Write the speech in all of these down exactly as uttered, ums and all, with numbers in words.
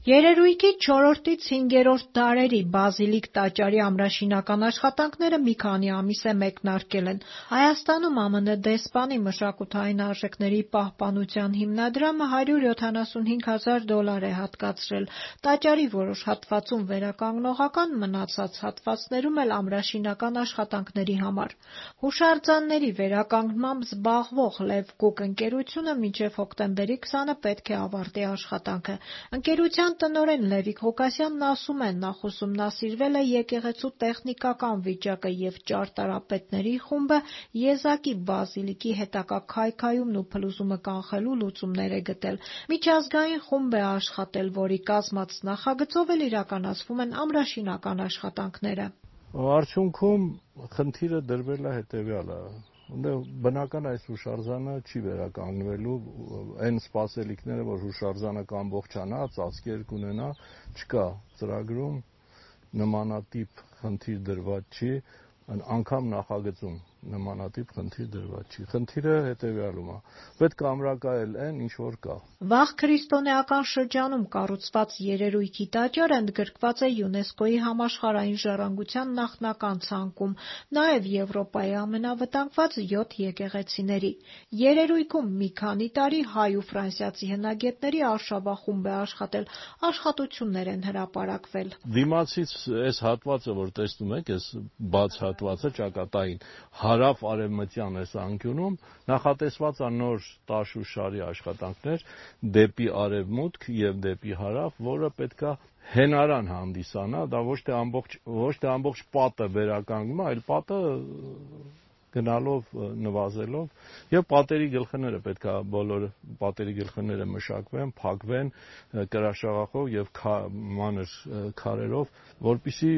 Երերույթի չորրորդից հինգերորդ դարերի բազիլիկ տաճարի ամրաշինական աշխատանքները մի քանի ամիս է մեկնարկել են։ Հայաստանում Է Մ Ն դեսպանի մշակութային արժեքների պահպանության հիմնադրամը հարյուր յոթանասունհինգ հազար դոլար է հատկացրել տաճարի որոշ հատվածում վերականգնողական, մնացած հատվածներում էլ ամրաշինական աշխատանքների համար։ Հուշարձանների վերականգնմամբ զբաղվող Լև Գուկ ընկերությունը մինչև հոկտեմբերի քսանը պետք է ավարտի աշխատանքը։ Ընկերության տնօրեն Լևիկ Ղուկասյանն ասում է, նախ ուսումնասիրվել է եկեղեցու տեխնիկական վիճակը և ճարտարապետների խումբը Եզակի բազիլիկի հետագա քայքայումն ու փլուզումը կանխելու լուծումներ է գտել։ Միջազգային խումբ է աշխատել, որի կազմած նախագծով էլ իրականացվում են ամրաշինական աշխատանքները։ Արդյունքում խնդիրը դրվել է հետևյալը. բնական այս հուշարձանը չի վերականգնվելու, այն սպասելիքները, որ հուշարձանը կամբողջանա, ծածկեր կունենա, չկա ծրագրում, նմանատիպ խնդիր դրված չի, անգամ նախագծում նմանատիպ խնդիր դրված չի։ Խնդիրը հետևյալում է. պետք է ամրակայել այն, ինչ որ կա։ Վաղ քրիստոնեական շրջանում կառուցված երերույթի տաճարը ընդգրկված է ՅՈՒՆԵՍԿՕ-ի համաշխարհային ժառանգության նախնական ցանկում, նաև Եվրոպայի ամենավտանգված յոթ եկեղեցիների։ Երերույթում մի քանի տարի հայ ու ֆրանսիացի հնագետների արշավախումբ է աշխատել, աշխատություններ են հրապարակվել։ Դիմացից այս հատվածը, որ տեսնում եք, այս բաց հատվածը ճակատային հարավ-արևմտյան այս անկյունում նախատեսված է նոր տաշ-ու-շարի աշխատանքներ դեպի արևմուտք և դեպի հարավ, որը պետք է հենարան հանդիսանա, դա ոչ թե ամբողջ ոչ թե ամբողջ պատը վերականգնում է, այլ պատը գնալով, նվազելով, և պատերի գլխները պետք է բոլոր պատերի գլխները մշակվեն, փակվեն կրաշաղախով և մանր քարերով, որպեսզի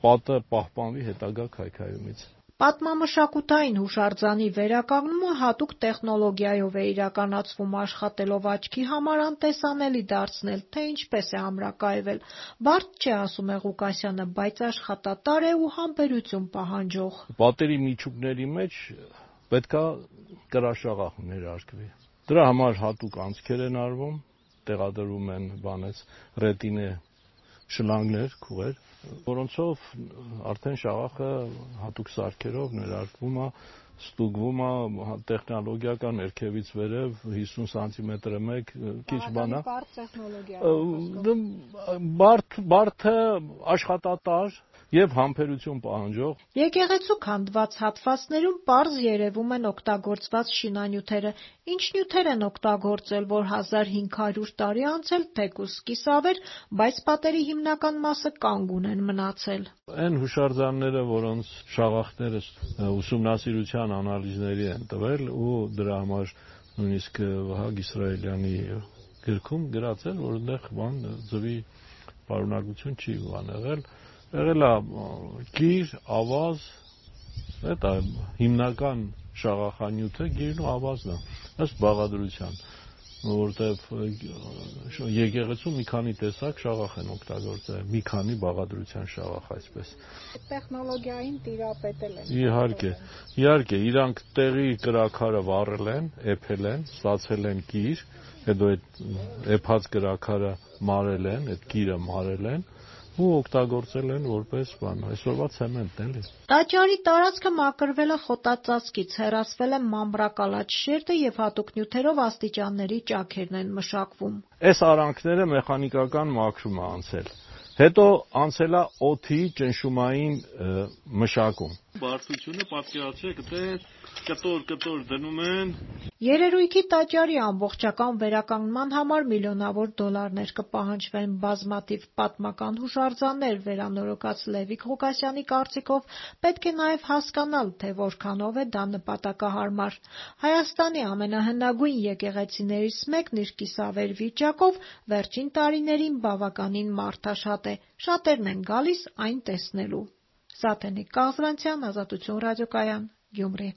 պատը պահպանվի հետագա քայքայումից։ Պատմամշակութային հուշարձանի վերականգնումը հատուկ տեխնոլոգիայով է իրականացվում, աշխատելով աչքի համար անտեսանելի դարձնել, թե ինչպես է ամրակայվել։ Բարդ չէ, ասում է Ղուկասյանը, բայց աշխատատար է ու համբերություն պահանջող։ Պատերի միջուկների մեջ պետք է կրաշաղախ ներարկվի։ Դրա համար հատուկ անցքեր են արվում, տեղադրում են բանից ռետինե շլանգներ, քուղեր, որոնցով արդեն շաղախը հատուկ սարքերով ներարկվում է, ստուգվում է տեխնոլոգիական ներքևից վերև հիսուն սանտիմետրը մեկ, քիչ բան է։ Բարդ է, աշխատատար և համբերություն պահանջող։ Եկեղեցու քանդված հատվածներում պարզ երևում են օգտագործված շինանյութերը։ Ինչ նյութեր են օգտագործել, որ հազար հինգ հարյուր տարի անց էլ թեկուզ կիսավեր, բայց պատերի հիմնական մասը կանգուն են մնացել։ Այն հուշարձանները, որոնց շաղախները ուսումնասիրության անալիզների են տվել ու դրա համար նույնիսկ Վահագ Իսրայելյանի գրքում գրած են, որ այնտեղ բան ձվի պարունակություն չի բան եղել, եղել է գիր, ավազ, դա հիմնական շաղախանյութը գիրն ու ավազն է, ըստ բաղադրության, որտեղ եկեղեցում մի քանի տեսակ շաղախ են օգտագործել, մի քանի բաղադրության շաղախ այսպես։ Տեխնոլոգիային տիրապետել են։ Իհարկե, իհարկե, իրանք տեղի կրաքարը վառել են, էփել են, ստացել են գիր, հետո այդ էփած կրաքարը մարել են, այդ գիրը մարել են ու օգտագործել են որպես բան, այսօրվա ցեմենտ, էլի։ Տաճարի տարածքը մաքրվել է խոտածածկից, հեռացվել է մանրակալած շերտը և հատուկ նյութերով աստիճանների ճաքերն են մշակվում։ Այս արանքները մեխանիկական մաքրում է անցել, հետո անցել է օդի ճնշումային մշակում։ Բարդությունը պատկերացրեք, կտոր-կտոր դնում են։ Երերույթի տաճարի ամբողջական վերականգնման համար միլիոնավոր դոլարներ կպահանջվեն։ Բազմաթիվ պատմական հուշարձաններ վերանորոգած Լևիկ Ղուկասյանի կարծիքով պետք է նաև հասկանալ, թե որքանով է դա նպատակահարմար։ Հայաստանի ամենահնագույն եկեղեցիներից մեկն իր կիսավեր վիճակով վերջին տարիներին բավականին մարդաշատ է, շատերն են գալիս այն տեսնելու։ Սաթենիկ Կաղզրանցյան, Ազատություն ռադիոկայան, Գյումրի։